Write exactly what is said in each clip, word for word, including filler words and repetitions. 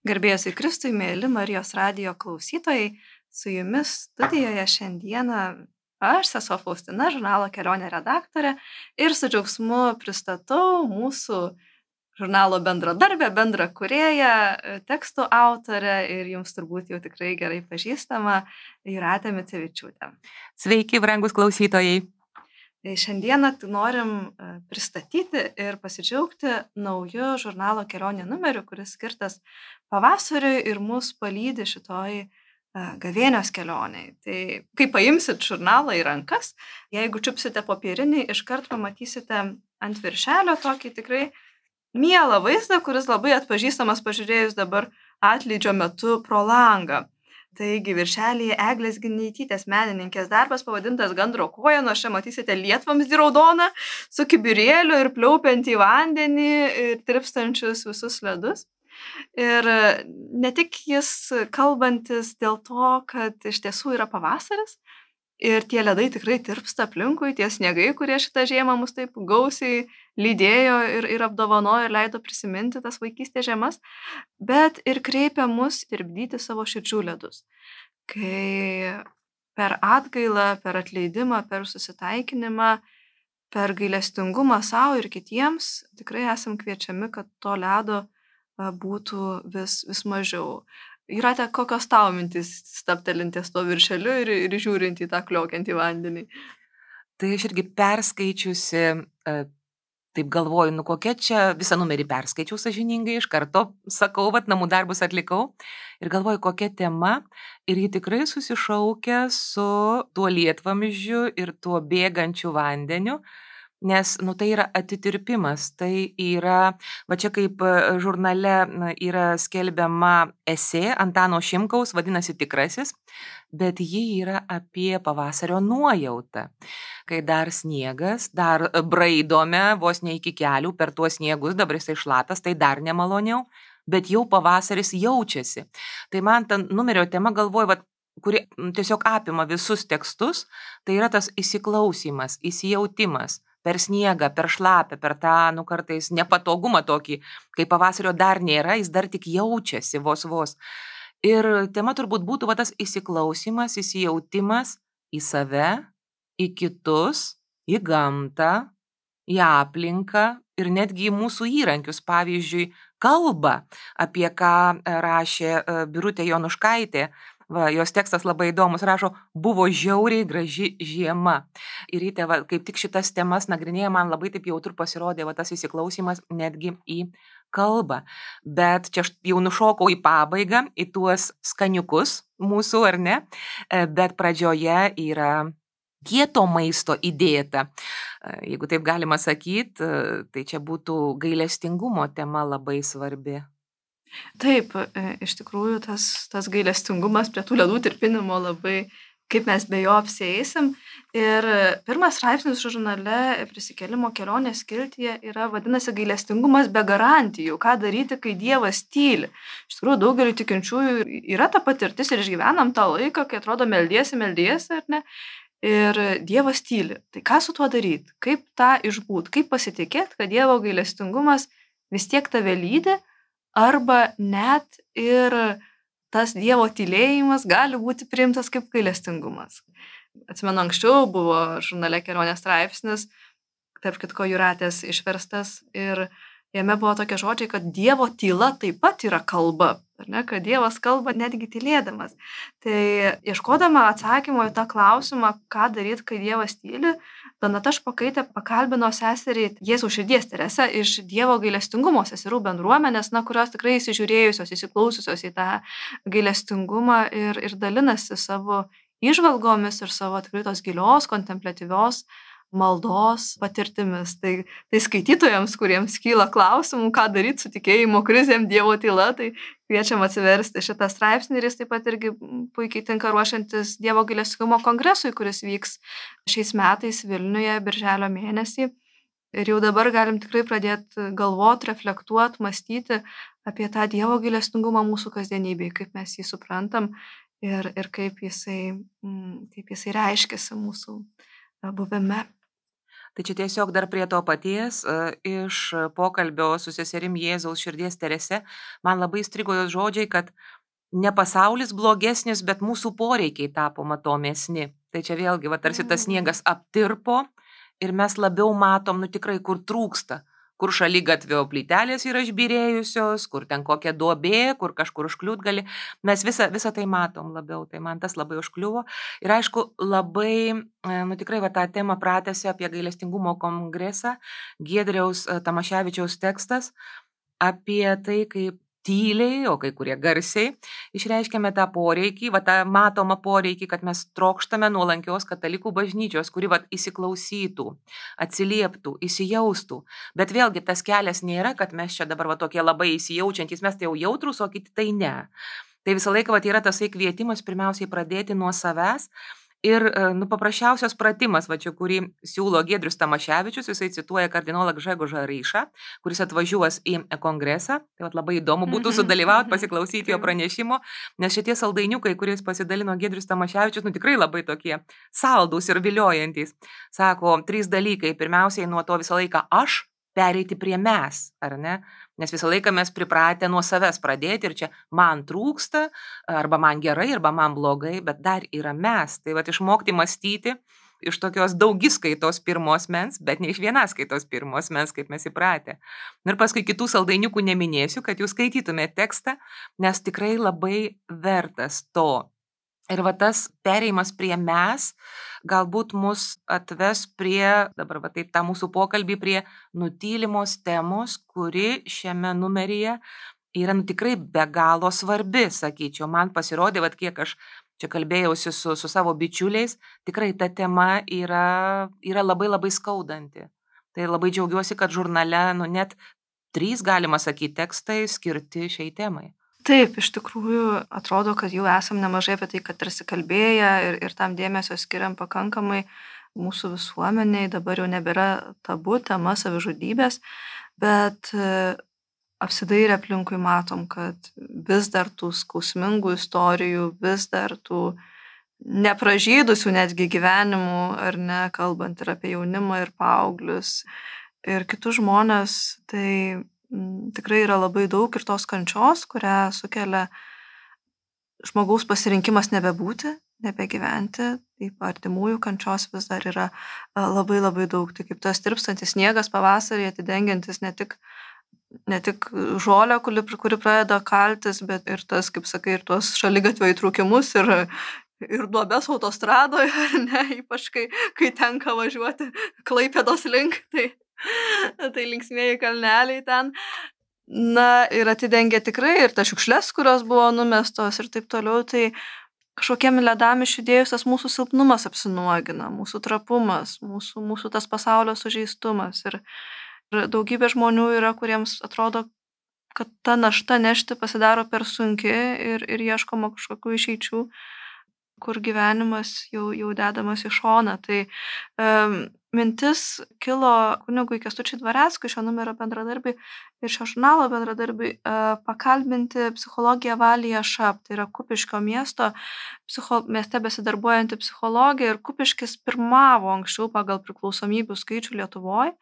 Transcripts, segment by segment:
Garbėjus į Kristui, mėly Marijos radijo klausytojai, su jumis studijoje šiandieną aš, sesuo Faustina, žurnalo Kelionė redaktorė, ir su džiaugsmu pristatau mūsų žurnalo bendradarbę, bendrakūrėją, tekstų autorę ir jums turbūt jau tikrai gerai pažįstama Jūratė Micevičiūtė. Sveiki, brangus klausytojai. Šiandieną norim pristatyti ir pasidžiaugti nauju žurnalo Kelionė numeriu, kuris skirtas pavasariui ir mus palydi šitoj gavėnios kelioniai. Tai kai paimsit žurnalą į rankas, jeigu čiupsite popierinį, iškart pamatysite ant viršelio tokį tikrai mielą vaizdą, kuris labai atpažįstamas pažiūrėjus dabar atlydžio metu pro langą. Taigi viršelyje Eglės Gineitytės menininkės darbas pavadintas Gandro koja, nors čia matysite lietvamzdį raudoną su kibirėliu ir pliaupiantį vandenį ir tirpstančius visus ledus. Ir ne tik jis kalbantis dėl to, kad iš tiesų yra pavasaris ir tie ledai tikrai tirpsta aplinkui, tie sniegai, kurie šitą žiemą mus taip gausiai lydėjo ir, ir apdovanojo ir leido prisiminti tas vaikystės žiemas, bet ir kreipia mus tirpdyti savo širdžių ledus. Kai per atgailą, per atleidimą, per susitaikinimą, per gailestingumą savo ir kitiems tikrai esam kviečiami, kad to ledo būtų vis, vis mažiau. Jūrate, kokios tavo mintis staptelintės to viršeliu ir, ir žiūrint į tą kliokiantį vandenį? Tai aš irgi perskaičiusi, taip galvoju, nu kokia čia, visą numerį perskaičiau sąžiningai, iš karto sakau, vat namų darbus atlikau ir galvoju, kokia tema ir ji tikrai susišaukia su tuo lietvamzdžiu ir tuo bėgančiu vandeniu. Nes, nu, tai yra atitirpimas, tai yra, va čia kaip žurnale yra skelbiama esė Antano Šimkaus, vadinasi Tikrasis, bet ji yra apie pavasario nuojautą. Kai dar sniegas, dar braidome vos ne iki kelių per tuos sniegus, dabar jisai šlapias, tai dar nemaloniau, bet jau pavasaris jaučiasi. Tai man ta numerio tema galvoju, va, kuri tiesiog apima visus tekstus, tai yra tas įsiklausymas, įsijautimas. Per sniegą, per šlapę, per tą, nu, kartais nepatogumą tokį, kai pavasario dar nėra, jis dar tik jaučiasi vos vos. Ir tema turbūt būtų va, tas įsiklausymas, įsijautimas į save, į kitus, į gamtą, į aplinką ir netgi į mūsų įrankius, pavyzdžiui, kalbą, apie ką rašė Birutė Jonuškaitė. Va, jos tekstas labai įdomus, rašo, buvo žiauriai graži žiema. Ir ryte, va, kaip tik šitas temas nagrinėja, man labai taip jautru pasirodė va, tas įsiklausymas netgi į kalbą. Bet čia aš jau nušokau į pabaigą, į tuos skaniukus mūsų, ar ne? Bet pradžioje yra kieto maisto įdėta. Jeigu taip galima sakyti, tai čia būtų gailestingumo tema labai svarbi. Taip, iš tikrųjų tas, tas gailestingumas prie tų ledų tirpinimo labai, kaip mes be jo apsieisim. Ir pirmas straipsnis žurnale Prisikėlimo kelionės skiltyje yra vadinasi gailestingumas be garantijų. Ką daryti, kai Dievas tyli? Iš tikrųjų, daugeliu tikinčiųjų yra ta patirtis ir išgyvenam tą laiką, kai atrodo meldiesi, meldiesi, ar ne? Ir Dievas tyli. Tai ką su tuo daryti? Kaip tą išbūt? Kaip pasitikėti, kad Dievo gailestingumas vis tiek tave lydi? Arba net ir tas Dievo tylėjimas gali būti priimtas kaip gailestingumas. Atsimenu, anksčiau buvo žurnale Kelionės straipsnis, tarp kitko Jūratės išverstas, ir jame buvo tokie žodžiai, kad Dievo tyla taip pat yra kalba, ar ne? Kad Dievas kalba netgi tylėdamas. Tai ieškodama atsakymo į tą klausimą, ką daryti, kai Dievas tyli, Donata Špokaitė pakalbino seserį Jėzaus širdies Teresę iš Dievo gailestingumo seserų bendruomenės, na, kurios tikrai įsižiūrėjusios, įsiklausiusios į tą gailestingumą ir, ir dalinasi savo įžvalgomis ir savo tikrai tos gilios, kontempliatyvios maldos patirtimis. Tai, tai skaitytojams, kuriems kyla klausimų, ką daryti su tikėjimo krizėm, Dievo tyla, tai kviečiam atsiversti šitą straipsnį ir jis taip pat irgi puikiai tinka ruošiantis Dievo gailestingumo kongresui, kuris vyks šiais metais Vilniuje birželio mėnesį. Ir jau dabar galim tikrai pradėti galvoti, reflektuoti, mąstyti apie tą Dievo gailestingumą mūsų kasdienybėje, kaip mes jį suprantam ir, ir kaip jisai, kaip jisai reiškiasi mūsų buvime. Tai čia tiesiog dar prie to paties e, iš pokalbio su seserim Jėzaus širdies Terese, man labai strigo jos žodžiai, kad ne pasaulis blogesnis, bet mūsų poreikiai tapo matomesni. Tai čia vėlgi, va, tarsi tas sniegas aptirpo ir mes labiau matom, nu tikrai, kur trūksta. Kur šaligatvio plytelės yra išbyrėjusios, kur ten kokia duobė, kur kažkur užkliūt gali. Mes visą, visą tai matom labiau, tai man tas labai užkliuvo. Ir aišku, labai, nu tikrai, va, tą temą pratęsė apie gailestingumo kongresą, Giedriaus Tamaševičiaus tekstas apie tai, kaip tyliai, o kai kurie garsiai, išreiškėme tą poreikį, va, tą matomą poreikį, kad mes trokštame nuolankios katalikų bažnyčios, kuri va, įsiklausytų, atsilieptų, įsijaustų. Bet vėlgi tas kelias nėra, kad mes čia dabar va, tokie labai įsijaučiantys, mes tai jau jautrus, o kiti tai ne. Tai visą laiką va, yra tasai kvietimas pirmiausiai pradėti nuo savęs. Ir nu, paprasčiausias pratimas, va čia, kurį siūlo Giedrius Tamaševičius, jisai cituoja kardinolą Gžegožą Ryšą, kuris atvažiuos į kongresą. Tai va, labai įdomu būtų sudalyvauti, pasiklausyti jo pranešimo, nes šitie saldainiukai, kuriais pasidalino Giedrius Tamaševičius, nu tikrai labai tokie saldūs ir viliojantys. Sako, trys dalykai. Pirmiausiai nuo to visą laiką aš pereiti prie mes, ar ne? Nes visą laiką mes pripratę nuo savęs pradėti ir čia man trūksta, arba man gerai, arba man blogai, bet dar yra mes. Tai va išmokti mąstyti iš tokios daugiskaitos pirmos mens, bet ne iš vienaskaitos pirmos mens, kaip mes įpratę. Ir paskui kitų saldainiukų neminėsiu, kad jūs skaitytumėte tekstą, nes tikrai labai vertas to. Ir va tas pereimas prie mes galbūt mus atves prie, dabar va taip tą mūsų pokalbį, prie nutylimos temos, kuri šiame numeryje yra nu, tikrai be galo svarbi, sakyčiau. Man pasirodė, va kiek aš čia kalbėjausi su, su savo bičiuliais, tikrai ta tema yra, yra labai labai skaudanti. Tai labai džiaugiuosi, kad žurnale nu, net trys, galima sakyti, tekstai skirti šiai temai. Taip, iš tikrųjų atrodo, kad jau esam nemažai apie tai, kad tarsi kalbėję ir, ir tam dėmesio skiriam pakankamai mūsų visuomeniai, dabar jau nebėra tabu tema savižudybės, bet apsidairę aplinkui matom, kad vis dar tų skausmingų istorijų, vis dar tų nepražydusių netgi gyvenimų, ar ne, kalbant ir apie jaunimą ir paauglius ir kitus žmonės, tai tikrai yra labai daug ir tos kančios, kurią sukelia žmogaus pasirinkimas nebebūti, nebegyventi, taip artimųjų kančios vis dar yra labai labai daug. Tai kaip tas tirpstantis sniegas pavasarį atidengiantis ne tik, ne tik žolę, kuri, kuri pradeda kaltis, bet ir tas, kaip sakai, ir tuos šaligatvio įtrūkimus ir, ir duobes autostradoje, ne, ypač kai, kai tenka važiuoti Klaipėdos link, tai tai linksmieji kalneliai ten, na ir atidengia tikrai ir tas šiukšles, kurios buvo numestos ir taip toliau, tai kažkokiem ledam išjudėjus tas mūsų silpnumas apsinuogina, mūsų trapumas, mūsų, mūsų tas pasaulio sužeistumas ir, ir daugybė žmonių yra, kuriems atrodo, kad ta našta nešti pasidaro per sunki ir, ir ieškoma kažkokių išeičių, kur gyvenimas jau, jau dedamas į šoną. Tai um, mintis kilo kunigui Kęstučiui Dvareckui, šio numerio bendradarbiai ir šio žurnalo bendradarbiai, uh, pakalbinti psichologę Valiją Šap, tai yra Kupiškio miesto, psicho, mieste besidarbuojanti psichologė ir Kupiškis pirmavo anksčiau pagal priklausomybių skaičių Lietuvoje.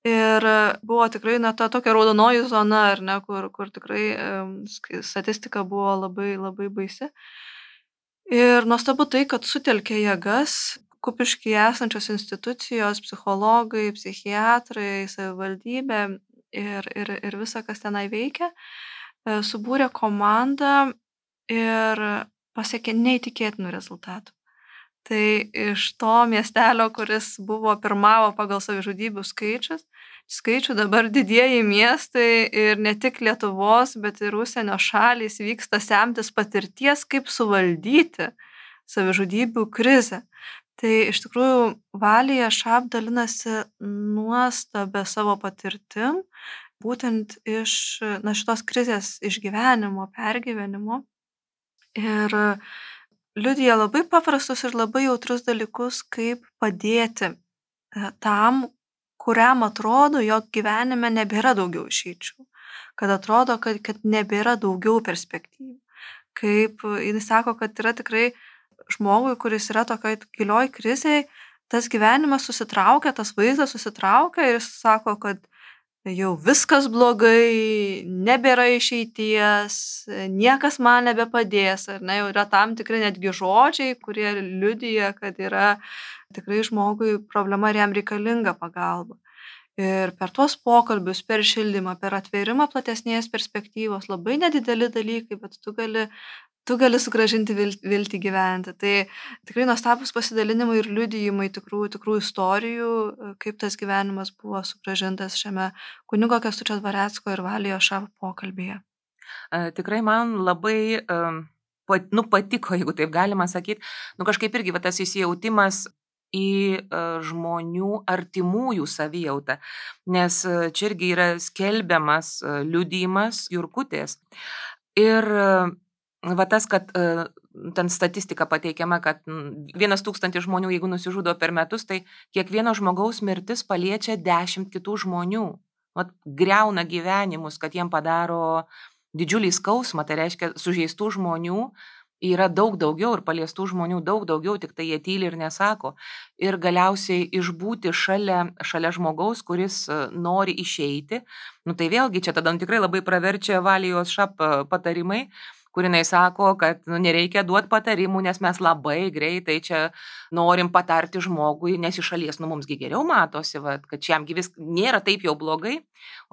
Ir buvo tikrai na, ta tokia raudonoji zona, ar ne, kur, kur tikrai um, statistika buvo labai, labai baisi. Ir nuostabu tai, kad sutelkė jėgas Kupiškyje esančios institucijos, psichologai, psichiatrai, savivaldybė ir, ir, ir visa, kas tenai veikia, subūrė komandą ir pasiekė neįtikėtinų rezultatų. Tai iš to miestelio, kuris buvo pirmavo pagal savižudybių skaičius, skaičių dabar didieji miestai ir ne tik Lietuvos, bet ir užsienio šalys vyksta semtis patirties, kaip suvaldyti savižudybių krizę. Tai iš tikrųjų Valija Šap dalinasi nuostabia savo patirtim, būtent iš na, šitos krizės išgyvenimo, pergyvenimo. Ir liudija labai paprastus ir labai jautrus dalykus, kaip padėti tam, kuriam atrodo, jog gyvenime nebėra daugiau išeičių, kad atrodo, kad, kad nebėra daugiau perspektyvų. Kaip jis sako, kad yra tikrai žmogui, kuris yra tokioj gilioj krizėj, tas gyvenimas susitraukia, tas vaizdas susitraukia ir jis sako, kad jau viskas blogai, nebėra išeities, niekas man nebepadės, ar ne, jau yra tam tikri netgi žodžiai, kurie liudija, kad yra tikrai žmogui problema ir jam reikalinga pagalba. Ir per tuos pokalbius, per šildymą, per atvėrimą platesnės perspektyvos, labai nedideli dalykai, bet tu gali, tu gali sugrąžinti vil- viltį gyventi. Tai tikrai nuostabus pasidalinimai ir liudijimai tikrų, tikrų istorijų, kaip tas gyvenimas buvo sugrąžintas šiame kunigo Kęstučio Dvarecko ir Valijo Šap pokalbyje. E, Tikrai man labai, em, pat- nu, patiko, jeigu taip galima sakyti, nu kažkaip irgi va, tas įsijautimas į e, žmonių artimųjų savijautą, nes e, čia irgi yra skelbiamas e, liudijimas Jurkutės. Ir e, va tas, kad e, ten statistika pateikiama, kad mm, vienas tūkstantis žmonių, jeigu nusižudo per metus, tai kiekvieno žmogaus mirtis paliečia dešimt kitų žmonių. Vat greuna gyvenimus, kad jiem padaro didžiulį skausmą, tai reiškia sužeistų žmonių yra daug daugiau ir paliestų žmonių daug daugiau, tik tai jie tyli ir nesako. Ir galiausiai išbūti šalia, šalia žmogaus, kuris e, nori išeiti, nu tai vėlgi čia tada nu, tikrai labai praverčia Valijos Šap e, patarimai, kur jinai sako, kad nu, nereikia duoti patarimų, nes mes labai greitai čia norim patarti žmogui, nes iš šalies nu mumsgi geriau matosi, vat, kad šiamgi vis nėra taip jau blogai.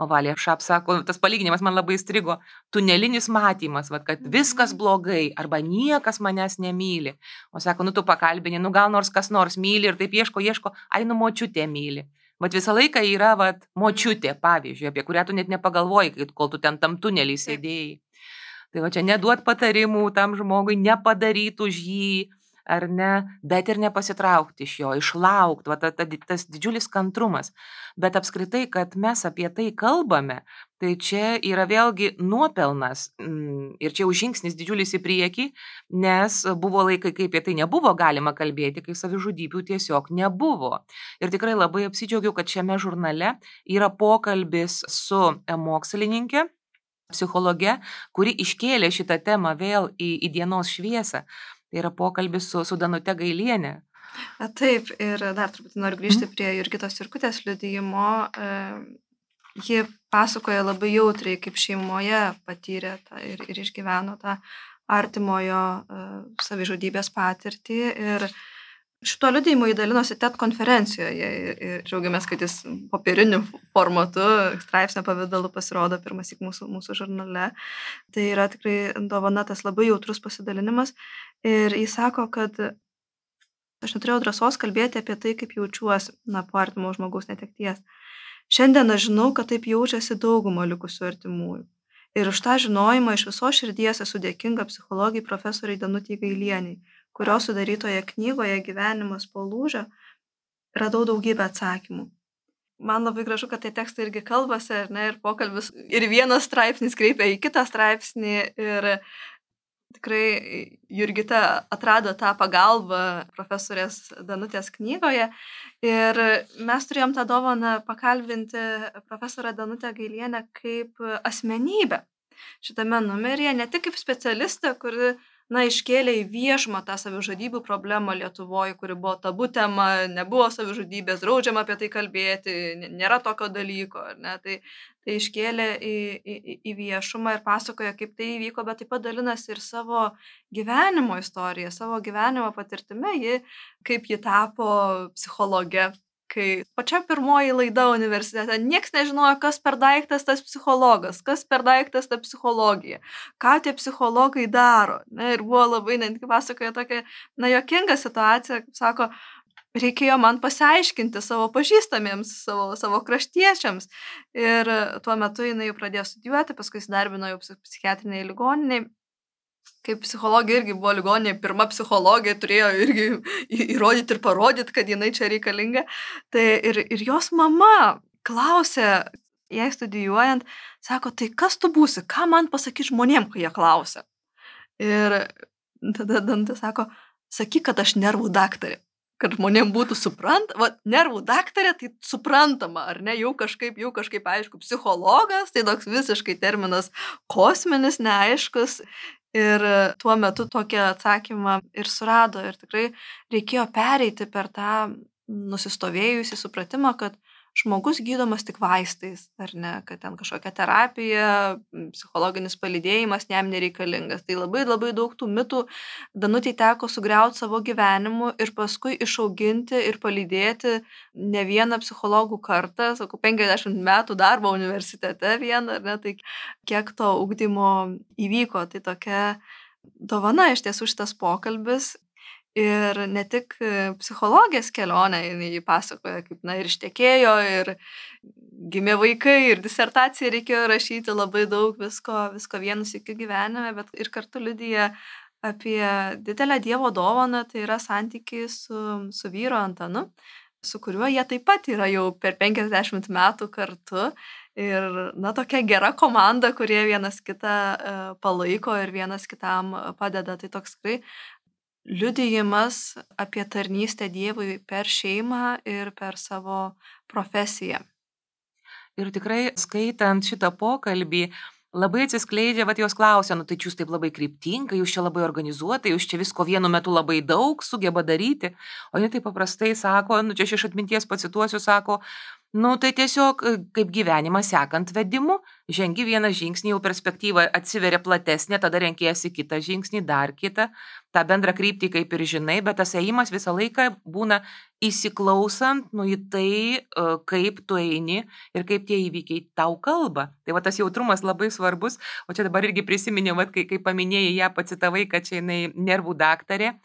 O Valija Šap sako, tas palyginimas man labai strigo, tunelinis matymas, vat, kad viskas blogai arba niekas manęs nemyli. O sako, nu tu pakalbini, nu gal nors kas nors myli ir taip ieško, ieško, ai nu močiutė myli. Vat visą laiką yra vat, močiutė, pavyzdžiui, apie kurią tu net nepagalvoji, kai- kol tu ten tam tunelį sėdėjai. Tai va čia neduot patarimų tam žmogui, nepadaryti už jį, ar ne, bet ir nepasitraukti iš jo, išlaukti, va ta, ta, tas didžiulis kantrumas. Bet apskritai, kad mes apie tai kalbame, tai čia yra vėlgi nuopelnas mm, ir čia jau žingsnis didžiulis į priekį, nes buvo laikai, kai apie tai nebuvo galima kalbėti, kai savižudybių tiesiog nebuvo. Ir tikrai labai apsidžiaugiau, kad šiame žurnale yra pokalbis su e, mokslininkė, psichologė, kuri iškėlė šitą temą vėl į, į dienos šviesą. Tai yra pokalbis su, su Danute Gailienė. A, Taip, ir dar turbūt noriu grįžti prie Jurgitos Jurkutės liudijimo. E, Ji pasakoja labai jautriai, kaip šeimoje patyrė tą, ir, ir išgyveno tą artimojo e, savižudybės patirtį. Ir šituo liudijimu įdalinosi T E D konferencijoje ir, ir džiaugiamės, kad jis popieriniu formatu, straipsnio pavidalu pasirodo pirmąsyk mūsų, mūsų žurnale. Tai yra tikrai dovana, tas labai jautrus pasidalinimas. Ir jis sako, kad aš neturėjau drąsos kalbėti apie tai, kaip jaučiuosi, na, po artimo žmogaus netekties. Šiandien aš žinau, kad taip jaučiasi dauguma likusių artimųjų. Ir už tą žinojimą iš viso širdies esu dėkinga psichologijai profesoriai Danutei Gailieniai, kurios sudarytoje knygoje Gyvenimas po lūžio radau daugybę atsakymų. Man labai gražu, kad tai tekstai irgi kalbasi, ar ne, ir pokalbis, ir vienas straipsnis kreipia į kitą straipsnį, ir tikrai Jurgita atrado tą pagalbą profesorės Danutės knygoje, ir mes turėjom tą dovaną pakalbinti profesorę Danutę Gailienę kaip asmenybę šitame numeryje, ne tik kaip specialistę, kuri na, iškėlė į viešumą tą savižudybių problemą Lietuvoje, kuri buvo tabu tema, nebuvo savižudybės, draudžiama apie tai kalbėti, n- nėra tokio dalyko, ar ne? Tai, tai iškėlė į, į, į viešumą ir pasakoja, kaip tai įvyko, bet taip pat dalinasi ir savo gyvenimo istoriją, savo gyvenimo patirtimi, ji, kaip ji tapo psichologe. Kai pačia pirmoji laida universitete, nieks nežinojo, kas per daiktas tas psichologas, kas per daiktas ta psichologija, ką tie psichologai daro. Ne, ir buvo labai, netgi pasakoja tokia, na, juokinga situacija, kaip sako, reikėjo man pasiaiškinti savo pažįstamiems, savo, savo kraštiečiams. Ir tuo metu jinai jau pradėjo studijuoti, paskui įsidarbino jau psich- psichiatriniai ligoniniai. Kaip psichologija irgi buvo ligoninė, pirma psichologija turėjo irgi į- įrodyti ir parodyti, kad jinai čia reikalinga. Tai ir, ir jos mama klausė, jai studijuojant, sako, tai kas tu būsi, ką man pasakyti žmonėm, kai jie klausia. Ir tada Dantė sako, sakyk, kad aš nervų daktarė. Kad žmonėm būtų suprant, va, nervų daktarė, tai suprantama, ar ne, jau kažkaip, jau kažkaip aišku, psichologas, tai toks visiškai terminas kosminis, neaiškus. Ir tuo metu tokį atsakymą ir surado. Ir tikrai reikėjo pereiti per tą nusistovėjusi supratimą, kad žmogus gydomas tik vaistais, ar ne, kad ten kažkokia terapija, psichologinis palydėjimas jam nereikalingas. Tai labai labai daug tų mitų Danutei teko sugriauti savo gyvenimu ir paskui išauginti ir palydėti ne vieną psichologų kartą, sakau, penkiasdešimt metų darbo universitete vieną, ar ne, tai kiek to ugdymo įvyko, tai tokia dovana iš tiesų šitas pokalbis. Ir ne tik psichologės kelionę, jinai pasakoja, kaip, na, ir ištekėjo, ir gimė vaikai, ir disertaciją reikėjo rašyti, labai daug visko, visko vienu sykiu gyvenime, bet ir kartu liudija apie didelę Dievo dovaną, tai yra santykiai su, su vyru Antanu, su kuriuo jie taip pat yra jau per penkiasdešimt metų kartu. Ir, na, tokia gera komanda, kurie vienas kitą palaiko ir vienas kitam padeda. Tai toks tikrai liudijimas apie tarnystę Dievui per šeimą ir per savo profesiją. Ir tikrai skaitant šitą pokalbį, labai atsiskleidžia, vat jos klausia, nu tai jūs taip labai kryptingai, jūs čia labai organizuotai, jūs čia visko vienu metu labai daug sugeba daryti, o jie taip paprastai sako, nu čia aš iš atminties pacituosiu, sako, nu tai tiesiog kaip gyvenimą sekant vedimu, žengi vieną žingsnį, jau perspektyva atsiveria platesnė, tada renkiesi kitą žingsnį, dar kitą, tą bendrą kryptį kaip ir žinai, bet tas ėjimas visą laiką būna įsiklausant, nu į tai, kaip tu eini ir kaip tie įvykiai tau kalba. Tai va tas jautrumas labai svarbus, o čia dabar irgi prisiminiau, va, kai, kai paminėjai ją, pacitavai, kad čia jinai nervų daktarė,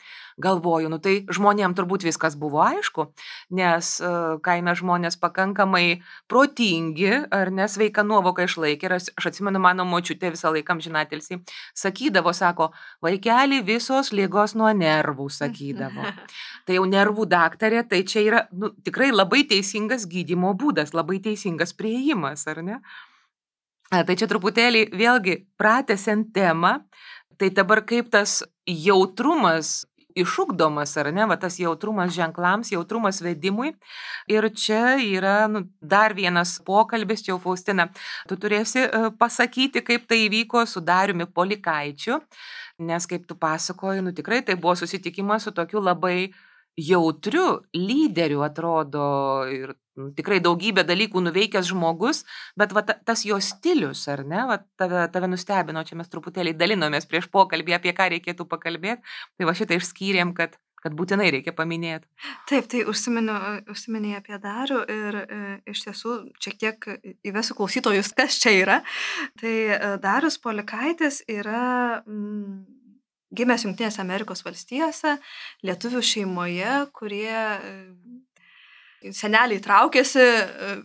galvoju, nu tai žmonėm turbūt viskas buvo aišku, nes uh, kaime žmonės pakankamai protingi, ar ne, sveika nuovoka išlaikė, ir aš, aš atsimenu, mano močiutė visą laiką amžinatilsį sakydavo, sako, vaikeli, visos ligos nuo nervų, sakydavo. Tai jau nervų daktarė, tai čia yra, nu, tikrai labai teisingas gydymo būdas, labai teisingas priėjimas, ar ne? A, tai čia truputėlį vėlgi pratęsiant temą, tai dabar kaip tas jautrumas išugdomas, ar ne, va tas jautrumas ženklams, jautrumas vedimui. Ir čia yra, nu, dar vienas pokalbis, čia jau Faustina, tu turėsi uh, pasakyti, kaip tai įvyko su Dariumi Polikaičiu, nes kaip tu pasakoji, nu tikrai tai buvo susitikimas su tokiu labai jautriu lyderiu, atrodo, ir nu, tikrai daugybę dalykų nuveikęs žmogus, bet va, ta, tas jo stilius, ar ne, va, tave, tave nustebino, čia mes truputėlį dalinomės prieš pokalbį, apie ką reikėtų pakalbėti, tai va šitą išskyrėm, kad, kad būtinai reikia paminėti. Taip, tai užsiminėjai apie Darių ir e, iš tiesų šiek tiek įvesiu klausytojus, kas čia yra. Tai e, Darius Polikaitis yra mm, gimęs Jungtinėse Amerikos valstijose, lietuvių šeimoje, kurie e, seneliai traukėsi,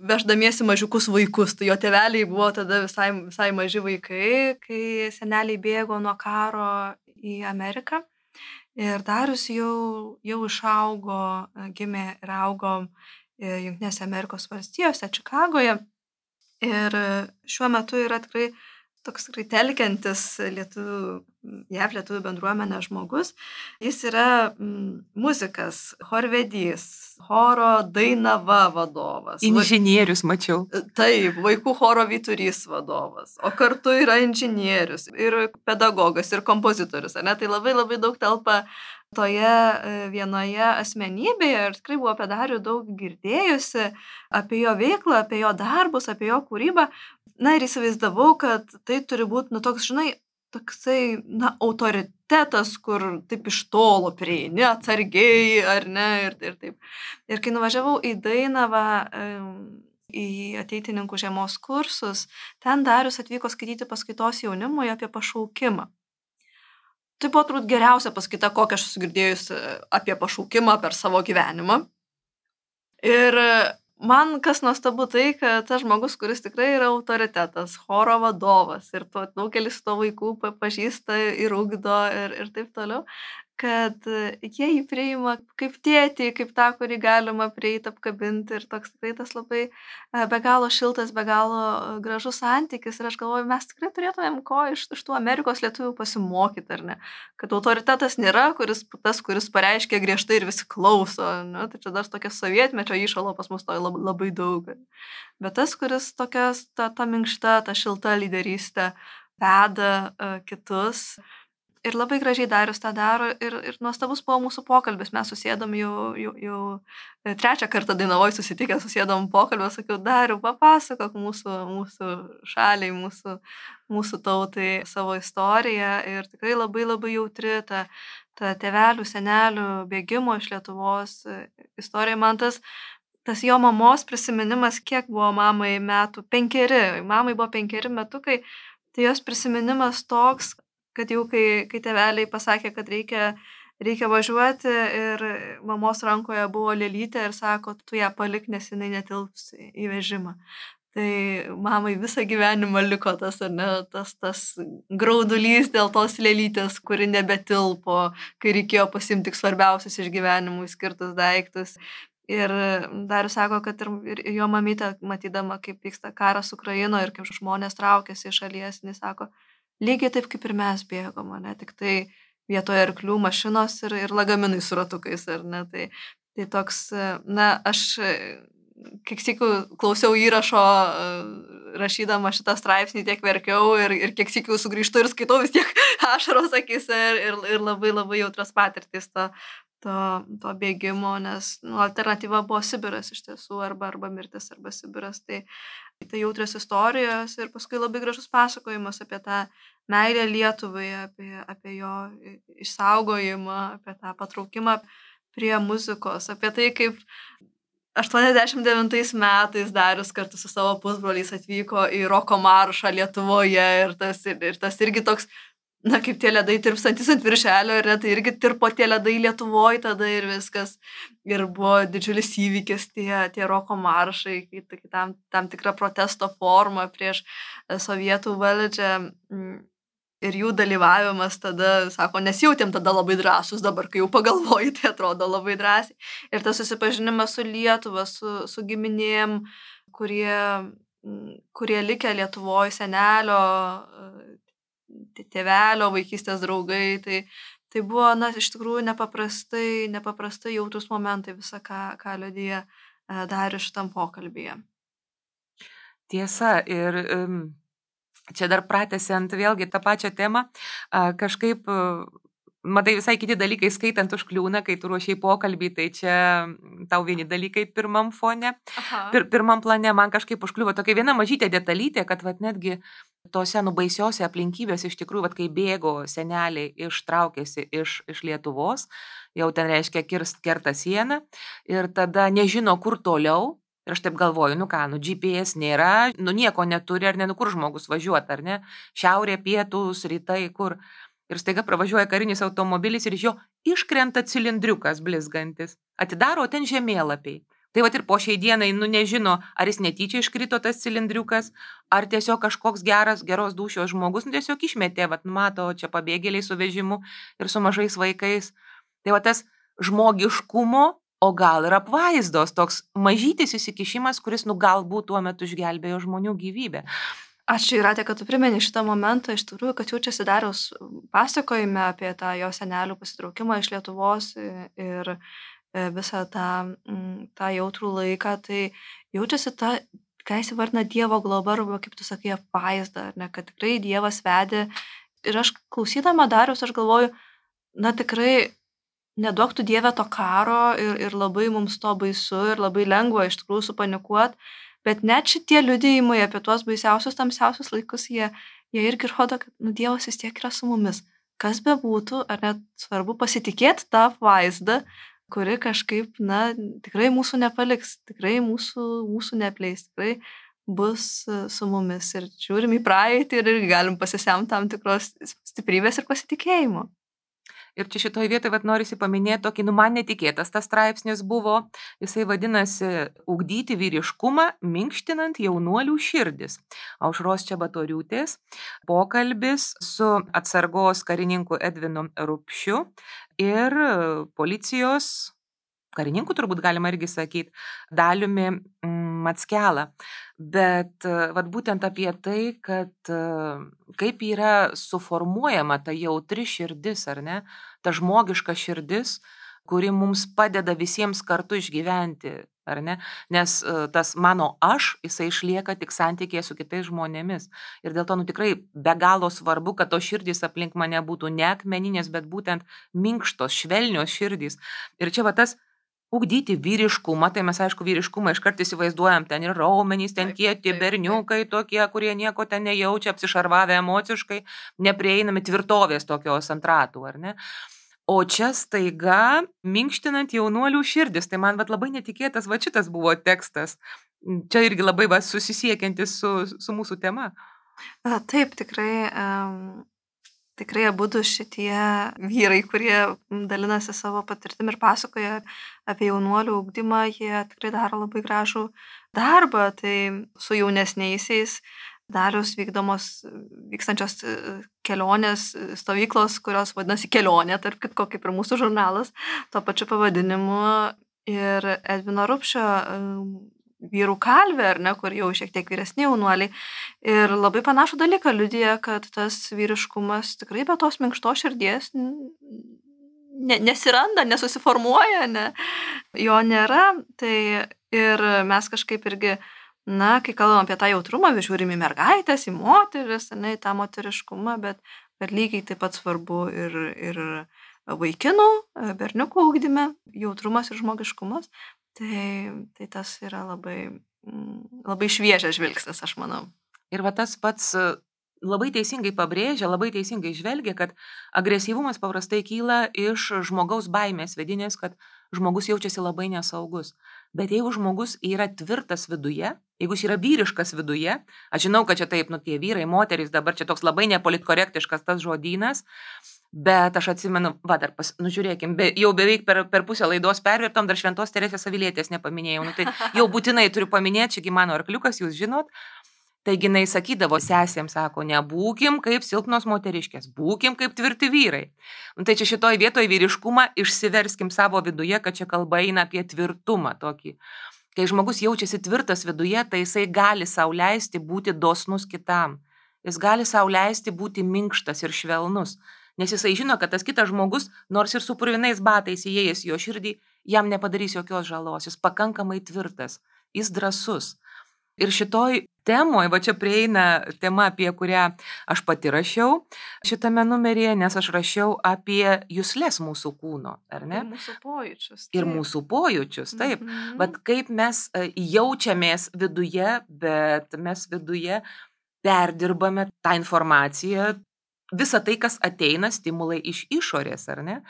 veždamiesi mažiukus vaikus. Tai jo tėveliai buvo tada visai, visai maži vaikai, kai seneliai bėgo nuo karo į Ameriką. Ir Darius jau, jau išaugo, gimė ir augo Jungtinėse Amerikos valstijose, Čikagoje. Ir šiuo metu yra tikrai toks tikrai telkiantis lietuvių, J A V lietuvių bendruomenė žmogus. Jis yra mm, muzikas, chorvedys, choro Dainava vadovas. Inžinierius, mačiau. Taip, vaikų choro Vyturys vadovas, o kartu yra inžinierius ir pedagogas ir kompozitorius. Ne? Tai labai labai daug telpa toje vienoje asmenybėje ir tikrai buvo apie Darių daug girdėjusi, apie jo veiklą, apie jo darbus, apie jo kūrybą. Na ir įsivaizdavau, kad tai turi būti, nu toks, žinai, toksai, na, autoritetas, kur taip iš tolo prieini, atsargiai, ar ne, ir, ir taip. Ir kai nuvažiavau į Dainavą, į ateitininkų žiemos kursus, ten Darius atvyko skaityti paskaitos jaunimui apie pašaukimą. Tai buvo turbūt geriausia paskaita, kokią aš esu girdėjus apie pašaukimą per savo gyvenimą. Ir man kas nuostabu tai, kad tas žmogus, kuris tikrai yra autoritetas, choro vadovas ir to, daugelis to vaikų pažįsta ir ugdo ir, ir taip toliau, kad jie jį priima kaip tėtį, kaip tą, kurį galima prieiti, apkabinti ir toks tikrai tas labai be galo šiltas, be galo gražus santykis ir aš galvoju, mes tikrai turėtumėm ko iš, iš tų Amerikos lietuvių pasimokyti, ar ne? Kad autoritetas nėra kuris, tas, kuris pareiškia griežtai ir visi klauso, ne? Tai čia dar tokia sovietmečio įšalo pas mus to labai, labai daug. Bet tas, kuris tokias, ta, ta minkšta, ta šilta lyderystė veda uh, kitus. Ir labai gražiai Darius tą daro ir, ir nuostabus buvo mūsų pokalbis. Mes susėdom jau, jau, jau trečią kartą Dainavoj susitikę, susėdom pokalbį, sakiau, Dariu, papasakok mūsų, mūsų šaliai, mūsų, mūsų tautai savo istoriją. Ir tikrai labai labai jautri ta, ta tėvelių, senelių bėgimo iš Lietuvos istorija. Man tas, tas jo mamos prisiminimas, kiek buvo mamai metų, penkeri, mamai buvo penkeri metukai, tai jos prisiminimas toks, kad jau kai, kai tėveliai pasakė, kad reikia, reikia važiuoti ir mamos rankoje buvo lėlytė ir sako, tu ją palik, nes jinai netilps į vežimą. Tai mamai visą gyvenimą liko tas, ar ne, tas, tas graudulys dėl tos lėlytės, kuri nebetilpo, kai reikėjo pasimti tik svarbiausius iš gyvenimų skirtus daiktus. Ir Darius sako, kad ir, ir jo mamytė, matydama, kaip vyksta karas Ukrainoje ir kaip žmonės traukiasi iš šalies, jis sako, lygiai taip kaip ir mes bėgom, ne, tik tai vietoje arklių mašinos ir, ir lagaminai su ratukais, ar ne, tai, tai toks, na, aš kiek sykių klausiau įrašo, rašydama šitą straipsnį, tiek verkiau ir, ir kiek sykių sugrįžtu ir skaitau vis tiek ašaros akise ir, ir, ir labai labai jautras patirtis to, to, to bėgimo, nes nu, alternatyva buvo Sibiras iš tiesų, arba, arba mirtis, arba Sibiras, tai tai jautrios istorijos ir paskui labai gražus pasakojimas apie tą meilę Lietuvai, apie, apie jo išsaugojimą, apie tą patraukimą prie muzikos, apie tai, kaip aštuoniasdešimt devintais metais Darius kartu su savo pusbroliais atvyko į roko maršą Lietuvoje ir tas, ir, ir tas irgi toks, na, kaip tie ledai tirpstantis ant viršelio, ir tai irgi tirpo tie ledai Lietuvoje tada ir viskas. Ir buvo didžiulis įvykis tie, tie roko maršai, tam, tam tikra protesto forma prieš sovietų valdžią. Ir jų dalyvavimas tada, sako, nesijautėm tada labai drąsus, dabar kai jau pagalvoji, tai atrodo labai drąsiai. Ir tas susipažinimas su Lietuva, su, su giminėm, kurie, kurie likę Lietuvoje, senelio, tėvelio, vaikystės draugai, tai, tai buvo, na, iš tikrųjų nepaprastai, nepaprastai jautrus momentai visą, ką, ką liudija Darius šitam pokalbyje. Tiesa, ir um, čia dar pratęsiant vėlgi tą pačią temą, uh, kažkaip, uh, matai, visai kiti dalykai skaitant užkliūna, kai tu ruošiai pokalbį, tai čia tau vieni dalykai pirmam fone, pir, pirmam plane man kažkaip užkliuvo tokia viena mažytė detalytė, kad vat netgi tose nubaisiose aplinkybės iš tikrųjų, vat, kai bėgo seneliai ištraukėsi iš, iš Lietuvos, jau ten reiškia kirst, kerta sieną ir tada nežino, kur toliau. Ir aš taip galvoju, nu ką, nu G P S nėra, nu nieko neturi, ar ne, nu kur žmogus važiuoti, ar ne, šiaurė, pietus, rytai, kur. Ir staiga pravažiuoja karinis automobilis ir iš jo iškrenta cilindriukas blizgantis. Atidaro ten žemėlapiai. Tai vat ir po šiai dienai, nu nežino, ar jis netyčia iškrito tas cilindriukas, ar tiesiog kažkoks geras, geros dūšios žmogus, nu tiesiog išmetė, vat mato, čia pabėgėliai su vežimu ir su mažais vaikais. Tai vat tas žmogiškumo, o gal ir apvaizdos, toks mažytis įsikišimas, kuris, nu galbūt tuo metu išgelbėjo žmonių gyvybę. Ačiū, Jūrate, kad tu primeni šitą momentą, iš tikrųjų, kad jaučiasi Dariaus pasakojime apie tą jo senelių pasitraukimą iš Lietuvos ir visą tą, tą jautrų laiką, tai jaučiasi ta, ką jis įvardina Dievo globa, arba kaip tu sakai, apvaizda, ne, kad tikrai Dievas vedė. Ir aš klausydama Dariaus, aš galvoju, na tikrai neduok tu Dieve to karo ir, ir labai mums to baisu ir labai lengva iš tikrųjų supanikuoti. Bet net šitie liudijimai apie tuos baisiausius, tamsiausius laikus, jie, jie irgi rodo, kad nu, Dievas vis tiek yra su mumis. Kas be būtų, ar net svarbu pasitikėti tą vaizdą, kuri kažkaip, na, tikrai mūsų nepaliks, tikrai mūsų, mūsų nepleis, tikrai bus su mumis. Ir žiūrim į praeitį ir galim pasisemti tam tikros stiprybės ir pasitikėjimo. Ir čia šitoje vietoje vat, norisi paminėti tokį, nu man netikėtas tas straipsnis buvo, jisai vadinasi Ugdyti vyriškumą, minkštinant jaunuolių širdis. Aušros Čebatoriūtės pokalbis su atsargos karininku Edvinu Rupšiu ir policijos karininku, turbūt galima irgi sakyti, Daliumi Mackelą. Bet vat, būtent apie tai, kad kaip yra suformuojama ta jautri širdis, ar ne, ta žmogiška širdis, kuri mums padeda visiems kartu išgyventi ar ne? Nes tas mano aš, jisai išlieka tik santykėje su kitais žmonėmis. Ir dėl to, nu tikrai be galo svarbu, kad tos širdys aplink mane būtų ne akmeninės, bet būtent minkštos, švelnios širdys. Ir čia va tas ugdyti vyriškumą, tai mes aišku vyriškumą iškart įsivaizduojam, ten ir raumenys, ten kieti berniukai tokie, kurie nieko ten nejaučia, apsišarvavę emociškai, neprieinami tvirtovės tokios ant ratų, ar ne? O čia staiga minkštinant jaunuolių širdis, tai man vat labai netikėtas va šitas buvo tekstas. Čia irgi labai va susisiekiantis su, su mūsų tema. Taip, tikrai... Um... Tikrai abudu šitie vyrai, kurie dalinasi savo patirtim ir pasakoja apie jaunuolių ugdymą, jie tikrai daro labai gražų darbą. Tai su jaunesniaisiais Dariaus vykdomos, vykstančios kelionės, stovyklos, kurios vadinasi kelionė, tarp kitko kaip ir mūsų žurnalas, tuo pačiu pavadinimu, ir Edvino Rupšio vyrų kalvė, ar ne, kur jau šiek tiek vyresni jaunuoliai. Ir labai panašų dalyką liudija, kad tas vyriškumas tikrai be tos minkštos širdies ne, nesiranda, nesusiformuoja, ne, jo nėra. Tai ir mes kažkaip irgi, na, kai kalbam apie tą jautrumą, vis žiūrim į mergaitės, į moteris, ne, į tą moteriškumą, bet, bet lygiai taip pat svarbu ir, ir vaikinų, berniukų ugdyme, jautrumas ir žmogiškumas. Tai, tai tas yra labai, labai šviežias žvilgsnis, aš manau. Ir va tas pats labai teisingai pabrėžia, labai teisingai žvelgia, kad agresyvumas paprastai kyla iš žmogaus baimės vidinės, kad žmogus jaučiasi labai nesaugus. Bet jeigu žmogus yra tvirtas viduje, jeigu jis yra vyriškas viduje, aš žinau, kad čia taip, nu tie vyrai, moterys, dabar čia toks labai nepolitkorektiškas tas žodynas, bet aš atsimenu, va dar, pas, nu žiūrėkim, be, jau beveik per, per pusę laidos pervirtom, dar Šventos Teresės Avilietės nepaminėjau, nu tai jau būtinai turiu paminėti, čiagi mano arkliukas, jūs žinot. Taigi jinai sakydavo sesėms, sako, nebūkim kaip silpnos moteriškės, būkim kaip tvirti vyrai. Nu, tai čia šitoj vietoj vyriškumą išsiverskim savo viduje, kad čia kalba eina apie tvirtumą tokį. Kai žmogus jaučiasi tvirtas viduje, tai jisai gali sau leisti būti dosnus kitam. Jis gali sau leisti būti minkštas ir švelnus. Nes jisai žino, kad tas kitas žmogus, nors ir su purvinais batais įėjęs jo širdį, jam nepadarys jokios žalos. Jis pakankamai tvirtas, jis drąsus. Ir šitoj temoj, va čia prieina tema, apie kurią aš pati rašiau šitame numeryje, nes aš rašiau apie juslės mūsų kūno, ar ne? Ir mūsų pojūčius. Ir mūsų pojūčius, taip. Mhm. Vat kaip mes jaučiamės viduje, bet mes viduje perdirbame tą informaciją, visą tai, kas ateina, stimulai iš išorės, ar ne?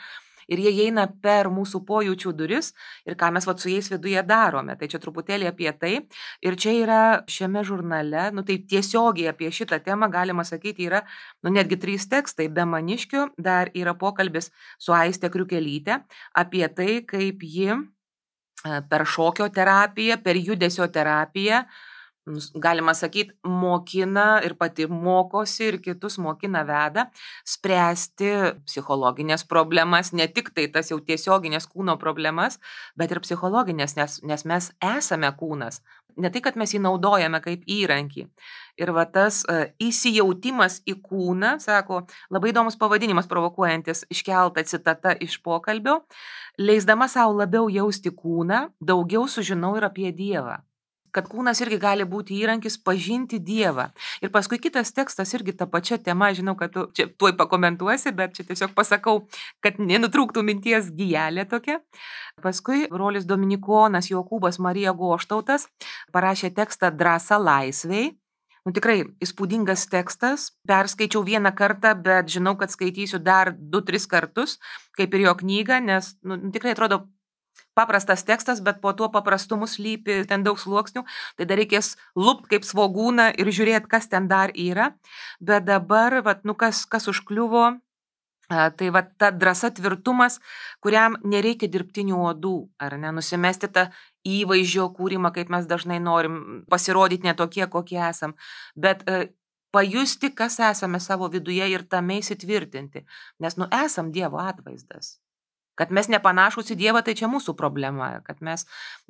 Ir jie eina per mūsų pojūčių duris ir ką mes vat su jais viduje darome. Tai čia truputėlį apie tai. Ir čia yra šiame žurnale, nu tai tiesiogiai apie šitą temą galima sakyti yra, nu netgi trys tekstai. Be Maniškio dar yra pokalbis su Aiste Kriukelyte apie tai, kaip ji per šokio terapiją, per judesio terapiją, galima sakyti, mokina ir pati mokosi ir kitus mokina veda spręsti psichologinės problemas, ne tik tai tas jau tiesioginės kūno problemas, bet ir psichologinės, nes, nes mes esame kūnas. Ne tai, kad mes jį naudojame kaip įrankį. Ir va tas uh, įsijautimas į kūną, sako, labai įdomus pavadinimas provokuojantis iškelta citata iš pokalbio, leisdama savo labiau jausti kūną, daugiau sužinau ir apie Dievą. Kad kūnas irgi gali būti įrankis pažinti Dievą. Ir paskui kitas tekstas irgi tą pačią temą, žinau, kad tu čia tuoj pakomentuosi, bet čia tiesiog pasakau, kad nenutrūktų minties gijelė tokia. Paskui brolis Dominikonas Jokūbas Marija Goštautas parašė tekstą Drąsa laisvei. Nu, tikrai įspūdingas tekstas, perskaičiau vieną kartą, bet žinau, kad skaitysiu dar du, tris kartus, kaip ir jo knygą, nes nu, tikrai atrodo paprastas tekstas, bet po tuo paprastumu slypi ten daug sluoksnių, tai dar reikės lupt kaip svogūną ir žiūrėti, kas ten dar yra. Bet dabar, vat, nu, kas, kas užkliuvo, tai vat, ta drąsa tvirtumas, kuriam nereikia dirbtinių odų, ar ne, nusimesti tą įvaizdžio kūrimą, kaip mes dažnai norim pasirodyti ne tokie, kokie esam, bet e, pajusti, kas esame savo viduje ir tame įsitvirtinti, nes nu esam Dievo atvaizdas. Kad mes nepanašūs į Dievą, tai čia mūsų problema, kad mes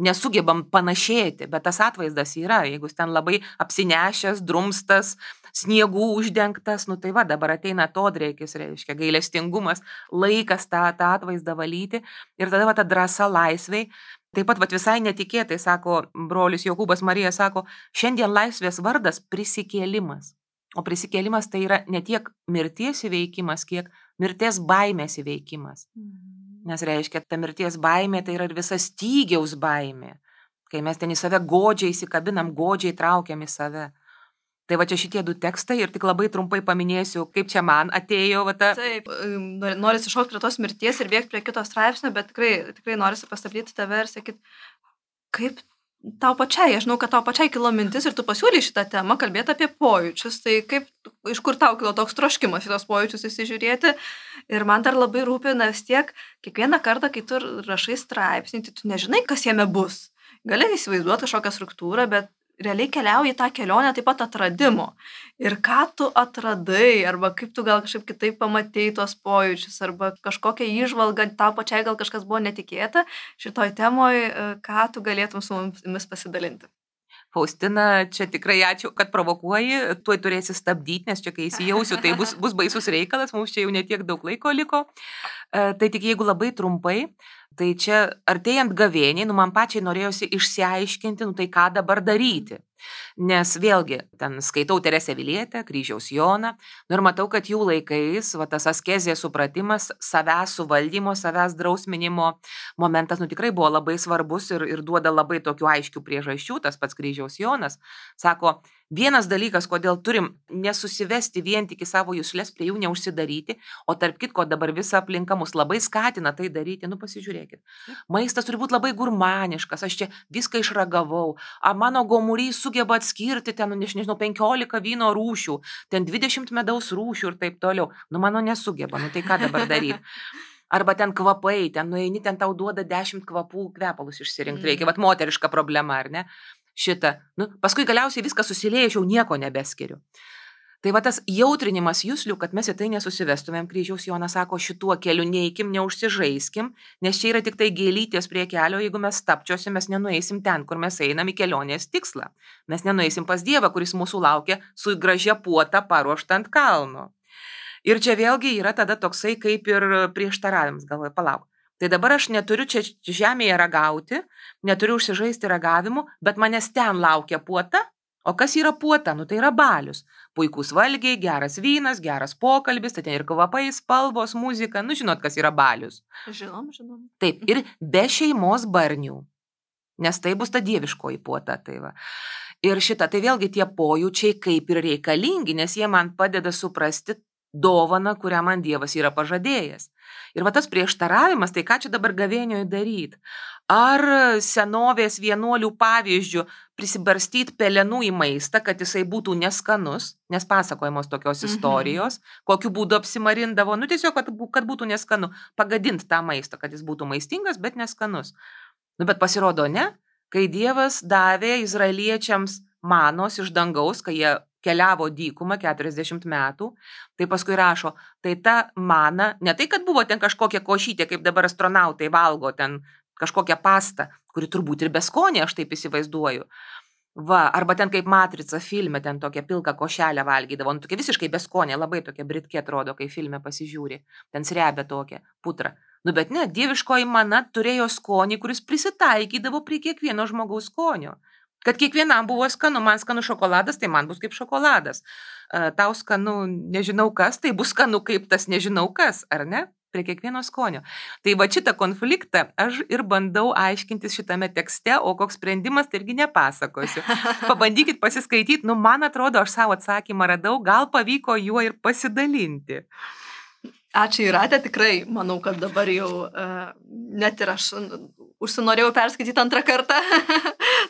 nesugebam panašėti, bet tas atvaizdas yra, jeigu ten labai apsinešęs, drumstas, sniegų uždengtas, nu tai va, dabar ateina atodrėkis, reiškia gailestingumas, laikas tą, tą atvaizdą valyti ir tada va ta drąsa laisvei, Taip pat vat, visai netikėtai, sako brolis Jokūbas Marija, sako, šiandien laisvės vardas prisikėlimas. O prisikėlimas tai yra ne tiek mirties įveikimas, kiek mirties baimės įveikimas. Nes reiškia, ta mirties baimė tai yra ir visa stygiaus baimė, kai mes ten į save godžiai įsikabinam, godžiai traukiam į save. Tai va čia šitie du tekstai ir tik labai trumpai paminėsiu, kaip čia man atėjo. Va, ta... Taip, norisi šokti prie tos mirties ir bėgti prie kito straipsnio, bet tikrai, tikrai norisi pastabdyti tave ir sakyti, kaip tau pačiai, aš žinau, kad tau pačiai kilo mintis ir tu pasiūlyi šitą temą kalbėti apie pojūčius, tai kaip, iš kur tau kilo toks troškimas šitos pojūčius įsižiūrėti. Ir man dar labai rūpi, na vis tiek, kiekvieną kartą, kai tu rašai straipsnį, tai tu nežinai, kas jame bus. Gali įsivaizduoti kažkokią struktūrą, bet realiai keliauji tą kelionę taip pat atradimo. Ir ką tu atradai, arba kaip tu gal kažkaip kitaip pamatei tos pojūčius, arba kažkokią įžvalgą, tau pačiai gal kažkas buvo netikėta šitoj temoj, ką tu galėtum su mumis pasidalinti. Faustina, čia tikrai ačiū, kad provokuoji, tuoj turėsi stabdyti, nes čia kai įsijausiu, tai bus, bus baisus reikalas, mums čia jau netiek daug laiko liko. E, tai tik jeigu labai trumpai, tai čia artėjant gavėniai, nu man pačiai norėjosi išsiaiškinti, nu tai ką dabar daryti. Nes vėlgi, ten skaitau Teresę Vilietę, Kryžiaus Joną, nu ir matau, kad jų laikais va, tas askezės supratimas, savęs suvaldymo, savęs drausminimo momentas, nu tikrai buvo labai svarbus ir, ir duoda labai tokių aiškių priežasčių, tas pats Kryžiaus Jonas. Sako, vienas dalykas, kodėl turim nesusivesti vien tik į savo juslės, prie jų neužsidaryti, o tarp kitko dabar visa aplinka mus labai skatina tai daryti, nu pasižiūrėkit. Maistas turi būti labai gurmaniškas, aš čia viską išragavau, a mano gomurys sugeba atskirti ten, nu, nežinau, penkiolika vyno rūšių, ten dvidešimt medaus rūšių ir taip toliau. Nu, mano nesugeba, nu tai ką dabar daryti? Arba ten kvapai, ten nueini, ten tau duoda dešimt kvapų, kvepalus išsirinkti reikia, mm. vat moteriška problema, ar ne? Šitą. Nu, paskui galiausiai viskas susilieja, aš jau nieko nebeskiriu. Tai va tas jautrinimas juslių, kad mes į tai nesusivestumėm, Kryžiaus Jonas sako, šituo keliu neikim, neužsižaiskim, nes čia yra tik tai gėlytės prie kelio, jeigu mes stapčiosim, mes nenueisim ten, kur mes einam į kelionės tikslą. Mes nenueisim pas Dievą, kuris mūsų laukia su gražia puota paruošta ant kalno. Ir čia vėlgi yra tada toksai kaip ir prieštaravimas, galvoju, palauk. Tai dabar aš neturiu čia žemėje ragauti, neturiu užsižaisti ragavimu, bet manęs ten laukia puota. O kas yra puota? Nu tai yra balius. Puikus valgiai, geras vynas, geras pokalbis, tai ten ir kvapai, spalvos, muzika. Nu žinot, kas yra balius. Žinom, žinom. Taip, ir be šeimos barnių. Nes tai bus ta dieviškoji puota. Tai va. Ir šita, tai vėlgi tie pojūčiai kaip ir reikalingi, nes jie man padeda suprasti dovaną, kurią man Dievas yra pažadėjęs. Ir va tas prieštaravimas, tai ką čia dabar gavėnioje daryti? Ar senovės vienuolių pavyzdžių prisibarstyti pelenų į maistą, kad jisai būtų neskanus, nes pasakojamos tokios istorijos, mhm. kokiu būdu apsimarindavo, nu tiesiog, kad, kad būtų neskanu, pagadinti tą maistą, kad jis būtų maistingas, bet neskanus. Nu bet pasirodo ne, kai Dievas davė izraeliečiams manos iš dangaus, kai jie keliavo dykumą keturiasdešimt metų, tai paskui rašo, tai ta mana, ne tai, kad buvo ten kažkokia košytė, kaip dabar astronautai valgo, ten kažkokią pastą, kuri turbūt ir beskonė, aš taip įsivaizduoju. Va, arba ten kaip Matrica filme, ten tokią pilką košelę valgydavo, nu tokia visiškai beskonė, labai tokia britkė atrodo, kai filme pasižiūri, ten srebia tokia putra. Nu bet ne, dieviškoji mana turėjo skonį, kuris prisitaikydavo prie kiekvieno žmogaus skonio. Kad kiekvienam buvo skanu, man skanu šokoladas, tai man bus kaip šokoladas. Tau skanu nežinau kas, tai bus skanu kaip tas nežinau kas, ar ne? Prie kiekvieno skonio. Tai va šitą konfliktą aš ir bandau aiškintis šitame tekste, o koks sprendimas, tai irgi nepasakosiu. Pabandykit pasiskaityti, nu man atrodo, aš savo atsakymą radau, gal pavyko juo ir pasidalinti. Ačiū Jūrate, tikrai manau, kad dabar jau uh, net ir aš užsinorėjau perskaityti antrą kartą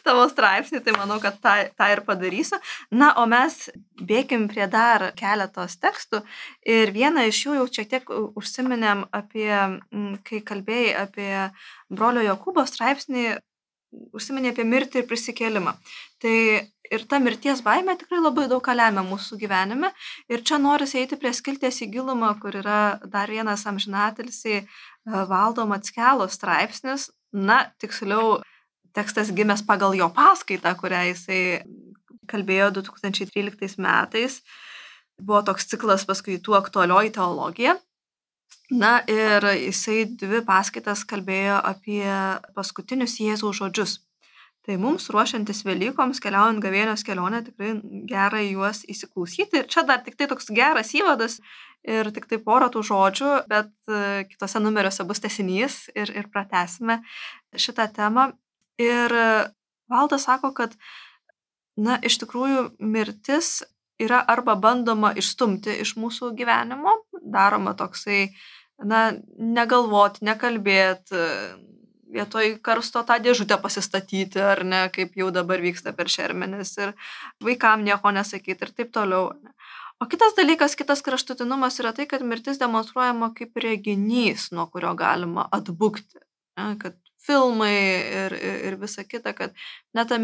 tavo straipsnį, tai manau, kad tą, tą ir padarysiu. Na, o mes bėkim prie dar keletos tekstų ir vieną iš jų jau šiek tiek užsiminėm apie, kai kalbėjai apie brolio Jokūbo straipsnį, užsiminė apie mirtį ir prisikėlimą. Tai ir ta mirties baimė tikrai labai daug ką lemia mūsų gyvenime. Ir čia norisi eiti prie skilties į gilumą, kur yra dar vienas amžinatilsiai Valdo Mackelos straipsnis. Na, tiksliau, tekstas gimęs pagal jo paskaitą, kurią jisai kalbėjo du tūkstančiai tryliktais metais. Buvo toks ciklas paskaitų aktualioji teologija. Na ir jisai dvi paskaitas kalbėjo apie paskutinius Jėzaus žodžius. Tai mums ruošiantis Velykoms, keliaujant gavėnios kelionę, tikrai gera į juos įsiklausyti. Ir čia dar tik tai toks geras įvadas ir tik tai porą tų žodžių, bet kitose numeriuose bus tęsinys ir, ir pratęsime šitą temą. Ir Valdas sako, kad na, iš tikrųjų mirtis yra arba bandoma išstumti iš mūsų gyvenimo, daroma toksai, na, negalvoti, nekalbėti, vietoj karsto tą dėžutę pasistatyti, ar ne, kaip jau dabar vyksta per šermenis, ir vaikam nieko nesakyti ir taip toliau. Ne. O kitas dalykas, kitas kraštutinumas yra tai, kad mirtis demonstruojama kaip reginys, nuo kurio galima atbukti. Ne, kad filmai ir, ir, ir visa kita, kad net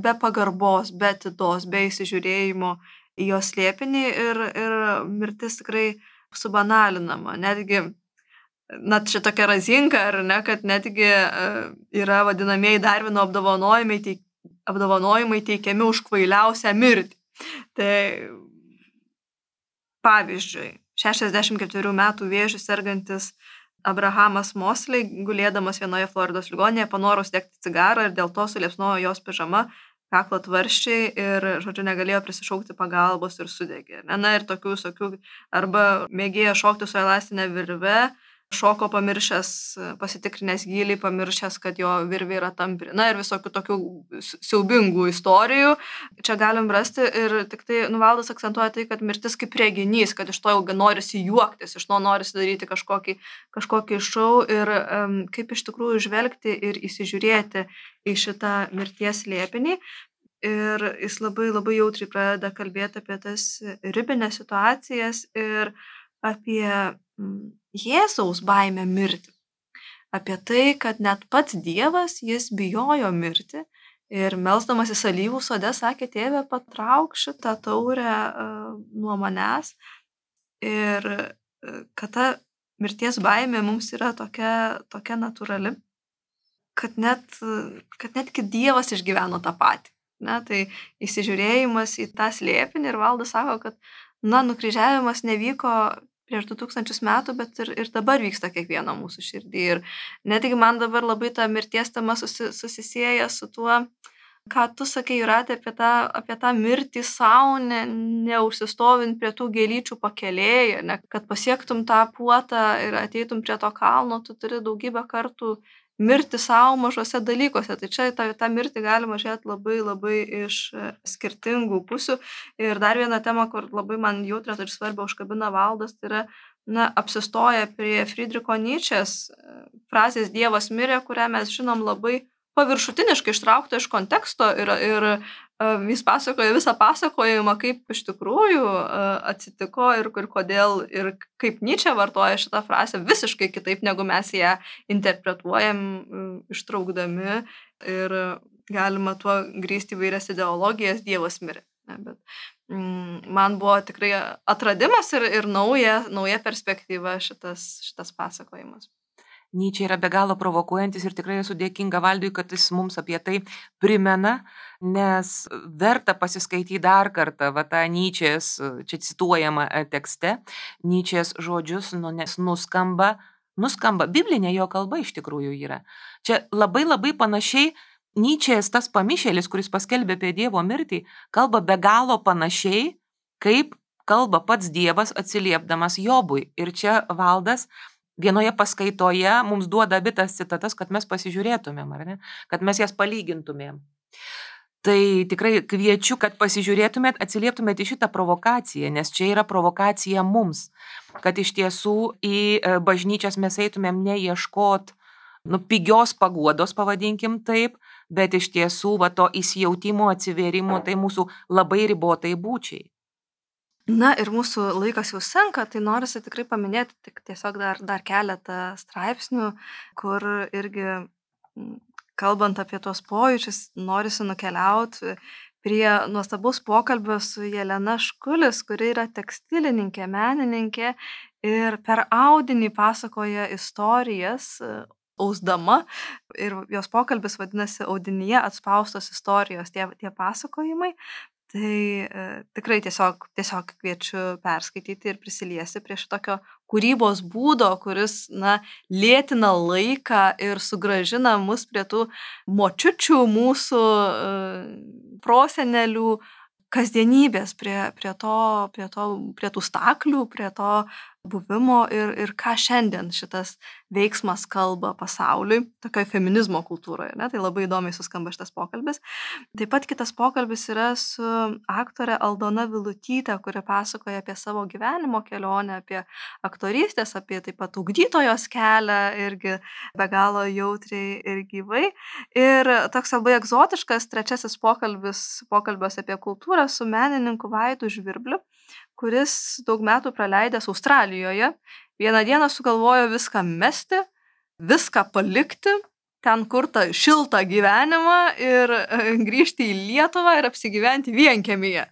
be pagarbos, be atidos, be įsižiūrėjimo į jos slėpinį ir, ir mirtis tikrai subanalinama. Netgi, na, čia tokia razinka, ar ne, kad netgi yra vadinamieji Darvino apdovanojimai, teik, apdovanojimai teikiami už kvailiausią mirtį. Tai pavyzdžiui, šešiasdešimt ketverių metų vėžiu sergantis Abrahamas Mosley, gulėdamas vienoje Floridos ligoninėje, panoro uždegti cigarą ir dėl to suliepsnojo jos pižama, kaklo tvarščiai ir, žodžiu, negalėjo prisišaukti pagalbos ir sudegė. Na ir tokių visokių, arba mėgėjo šokti su elastinė virve, šoko pamiršęs, pasitikrinęs gylį, pamiršęs, kad jo virvė yra tampri. Na ir visokių tokių siaubingų istorijų čia galim rasti ir tik tai Valdas akcentuoja tai, kad mirtis kaip reginys, kad iš to jau norisi juoktis, iš to norisi daryti kažkokį, kažkokį šou ir um, kaip iš tikrųjų žvelgti ir įsižiūrėti į šitą mirties slėpinį. Ir jis labai labai jautriai pradeda kalbėti apie tas ribinės situacijas ir apie Jėzaus baimę mirti. Apie tai, kad net pats Dievas, jis bijojo mirti ir melsdamasis alyvų sode sakė, tėve, patrauk šitą taurę uh, nuo manęs. Ir uh, kad ta mirties baimė mums yra tokia, tokia natūrali, kad, net, kad netgi Dievas išgyveno tą patį. Ne? Tai įsižiūrėjimas į tą slėpinį ir Valdas sako, kad na, nukryžiavimas nevyko prieš du tūkstančius metų, bet ir, ir dabar vyksta kiekvieno mūsų širdį. Ir netgi man dabar labai ta mirties tema susi, susisieja su tuo, ką tu sakai, Jūratė, apie tą, apie tą mirtį savo, ne, neužsistovint prie tų gėlyčių pakelėje, ne, kad pasiektum tą puotą ir ateitum prie to kalno, tu turi daugybę kartų mirti savo mažose dalykuose. Tai čia tą, tą mirtį galima žiūrėti labai labai iš skirtingų pusių. Ir dar viena tema, kur labai man jautrė ir svarbia užkabina Valdas, tai yra, na, apsistoja prie Friedricho Nyčės frazės Dievas mirė, kurią mes žinom labai paviršutiniškai ištraukta iš konteksto ir, ir uh, jis pasakoja visą pasakojimą, kaip iš tikrųjų uh, atsitiko ir, ir kodėl ir kaip Nyčė vartoja šitą frazę visiškai kitaip, negu mes ją interpretuojam, uh, ištraukdami ir galima tuo grįsti įvairias ideologijas, Dievas mirė. Ne, bet mm, man buvo tikrai atradimas ir, ir nauja, nauja perspektyva šitas, šitas pasakojimas. Nyčė yra be galo provokuojantis ir tikrai esu dėkinga Valdui, kad jis mums apie tai primena, nes verta pasiskaityti dar kartą va, tą Nyčės, čia cituojama tekste, Nyčės žodžius, nu, nes nuskamba, nuskamba, biblinė jo kalba iš tikrųjų yra. Čia labai labai panašiai Nyčės tas pamišėlis, kuris paskelbė apie Dievo mirtį, kalba be galo panašiai, kaip kalba pats Dievas atsiliepdamas Jobui. Ir čia Valdas vienoje paskaitoje mums duoda abi tas citatas, kad mes pasižiūrėtumėm, ar ne? Kad mes jas palygintumėm. Tai tikrai kviečiu, kad pasižiūrėtumėt, atsilieptumėt į šitą provokaciją, nes čia yra provokacija mums, kad iš tiesų į bažnyčias mes eitumėm neieškot, nu, pigios paguodos, pavadinkim taip, bet iš tiesų va, to įsijautimo, atsivėrimo, tai mūsų labai ribotai būčiai. Na ir mūsų laikas jau senka, tai norisi tikrai paminėti tik tiesiog dar, dar keletą straipsnių, kur irgi, kalbant apie tuos pojūčius, norisi nukeliauti prie nuostabaus pokalbio su Jelena Škulis, kuri yra tekstilininkė, menininkė ir per audinį pasakoja istorijas ausdama ir jos pokalbis vadinasi Audinyje atspaustos istorijos, tie, tie pasakojimai. Tai e, tikrai tiesiog, tiesiog kviečiu perskaityti ir prisiliesti prie šitokio kūrybos būdo, kuris, na, lėtina laiką ir sugražina mus prie tų močiučių, mūsų uh, prosenelių kasdienybės, prie, prie, to, prie, to, prie tų staklių, prie to buvimo ir, ir ką šiandien šitas veiksmas kalba pasauliui, tokioje feminizmo kultūroje. Ne? Tai labai įdomiai suskamba šitas pokalbis. Taip pat kitas pokalbis yra su aktorė Aldona Vilutytė, kuri pasakoja apie savo gyvenimo kelionę, apie aktorystės, apie taip pat ugdytojos kelią, irgi be galo jautriai ir gyvai. Ir toks labai egzotiškas trečiasis pokalbis, pokalbis apie kultūrą su menininku Vaidu Žvirbliu, kuris daug metų praleidęs Australijoje, vieną dieną sugalvojo viską mesti, viską palikti, ten kurtą šiltą gyvenimą ir grįžti į Lietuvą ir apsigyventi vienkiemyje.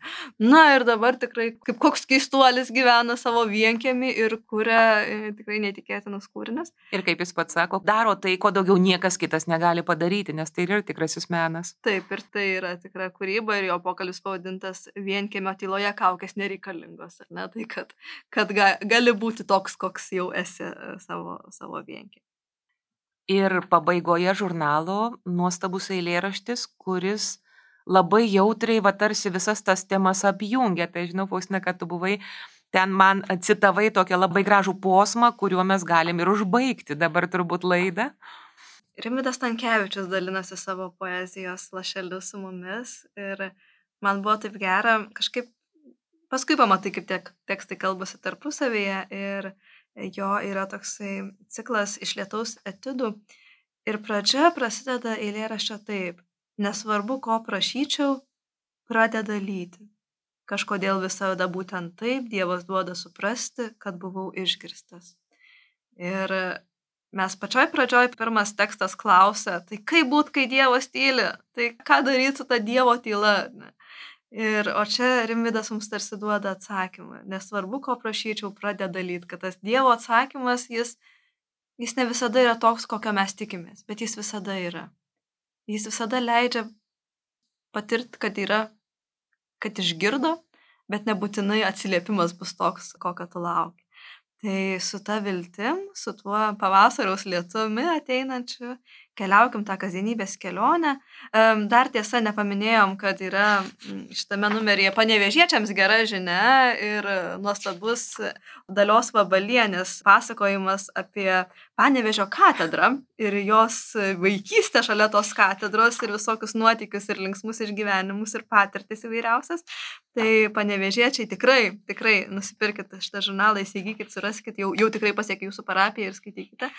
Na ir dabar tikrai kaip koks keistuolis gyvena savo vienkiemį ir kuria tikrai neįtikėtinus kūrinius. Ir kaip jis pats sako, daro tai, ko daugiau niekas kitas negali padaryti, nes tai yra tikrasis menas. Taip, ir tai yra tikra kūryba ir jo pokalbis pavadintas Vienkiemio tyloje kaukės nereikalingos. Ar ne? Tai kad, kad ga, gali būti toks, koks jau esi savo, savo vienkiemį. Ir pabaigoje žurnalo nuostabus eilėraštis, kuris labai jautriai, va tarsi visas tas temas apjungia. Tai žinau, Faustina, kad tu buvai, ten man citavai tokią labai gražų posmą, kuriuo mes galim ir užbaigti dabar turbūt laidą. Rimvydas Stankevičius dalinasi savo poezijos lašeliu su mumis ir man buvo taip gera, kažkaip paskui pamatai, kaip tiek tekstai kalbasi tarpusavyje ir jo yra toksai ciklas iš lietaus etudų ir pradžia prasideda eilėraščio taip: nesvarbu, ko prašyčiau, pradeda lyti. Kažkodėl visada būtent taip Dievas duoda suprasti, kad buvau išgirstas. Ir mes pačioj pradžioj pirmas tekstas klausia, tai kaip būt, kai Dievas tyli? Tai ką daryti su ta Dievo tyla? Ne? Ir, o čia Rimvydas mums tarsi duoda atsakymą. Nesvarbu, ko prašyčiau, pradeda lyti, kad tas Dievo atsakymas, jis, jis ne visada yra toks, kokio mes tikimės, bet jis visada yra. Jis visada leidžia patirti, kad yra, kad išgirdo, bet nebūtinai atsiliepimas bus toks, kokio tu lauki. Tai su ta viltim, su tuo pavasariaus lietumi ateinančiu, keliaukim tą kasdienybės kelionę. Dar tiesa nepaminėjom, kad yra šitame numeryje panevėžiečiams gera žinia ir nuostabus Dalios Vabalienės pasakojimas apie Panevėžio katedrą ir jos vaikystę šalia tos katedros ir visokius nuotykius ir linksmus išgyvenimus ir patirtis įvairiausias. Tai panevėžiečiai tikrai, tikrai nusipirkite šitą žurnalą, įsigykit, suraskit, jau, jau tikrai pasiekia jūsų parapiją ir skaitykite.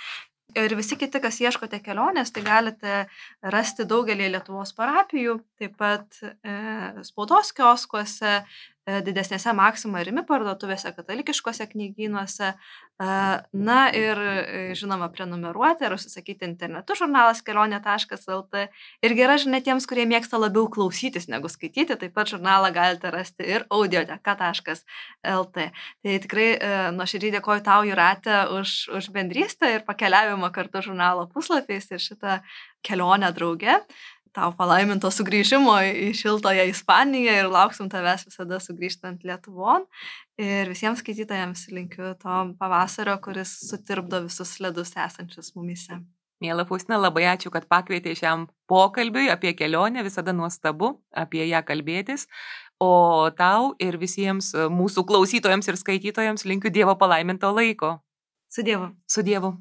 Ir visi kiti, kas ieškote kelionės, tai galite rasti daugelį Lietuvos parapijų, taip pat e, spaudos kioskuose, e, didesnėse Maxima ir Rimi parduotuvėse, katalikiškose knygynuose. E, na ir, e, žinoma, prenumeruoti ar užsisakyti internetu žurnalas kelionė taškas lt. Ir gera žinia tiems, kurie mėgsta labiau klausytis negu skaityti, taip pat žurnalą galite rasti ir audioteka taškas lt. Tai tikrai e, nuoširdžiai dėkoju tau, Jūrate, už, už bendrystę ir pakeliavimą kartu žurnalo puslapiais ir šitą kelionę drauge. Tau palaiminto sugrįžimo į šiltoje Ispaniją ir lauksim tavęs visada sugrįžtant Lietuvon. Ir visiems skaitytojams linkiu to pavasario, kuris sutirpdo visus ledus esančius mumyse. Miela Faustina, labai ačiū, kad pakvietei šiam pokalbiui apie kelionę, visada nuostabu apie ją kalbėtis. O tau ir visiems mūsų klausytojams ir skaitytojams linkiu Dievo palaiminto laiko. Su Dievu. Su Dievu.